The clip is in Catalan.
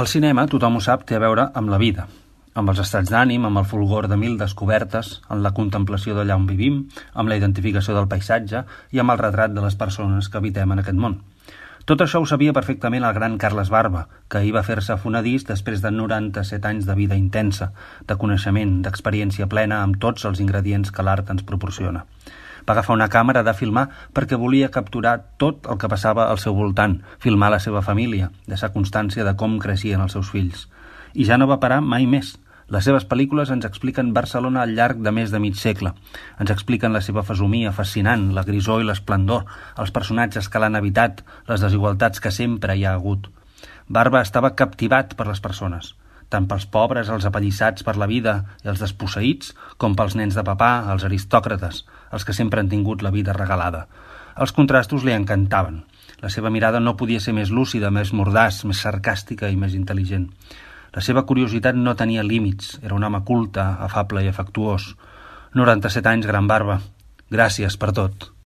El cinema, tothom ho sap, té a veure amb la vida, amb els estats d'ànim, amb el fulgor de mil descobertes, amb la contemplació d'allà on vivim, amb la identificació del paisatge i amb el retrat de les persones que habitem en aquest món. Tot això ho sabia perfectament el gran Carles Barba, que ahir va fer-se fonedís després de 97 anys de vida intensa, de coneixement, d'experiència plena amb tots els ingredients que l'art ens proporciona. Va agafar una càmera de filmar perquè volia capturar tot el que passava al seu voltant, filmar la seva família, deixar constància de com creixien els seus fills. I ja no va parar mai més. Les seves pel·lícules ens expliquen Barcelona al llarg de més de mig segle. Ens expliquen la seva fesomia fascinant, la grisor i l'esplendor, els personatges que l'han habitat, les desigualtats que sempre hi ha hagut. Barba estava captivat per les persones, tant pels pobres, els apallissats per la vida i els desposseïts, com pels nens de papà, els aristòcrates, els que sempre han tingut la vida regalada. Els contrastos li encantaven. La seva mirada no podia ser més lúcida, més mordaç, més sarcàstica i més intel·ligent. La seva curiositat no tenia límits, era un home culte, afable i afectuós. 97 anys, gran Barba. Gràcies per tot.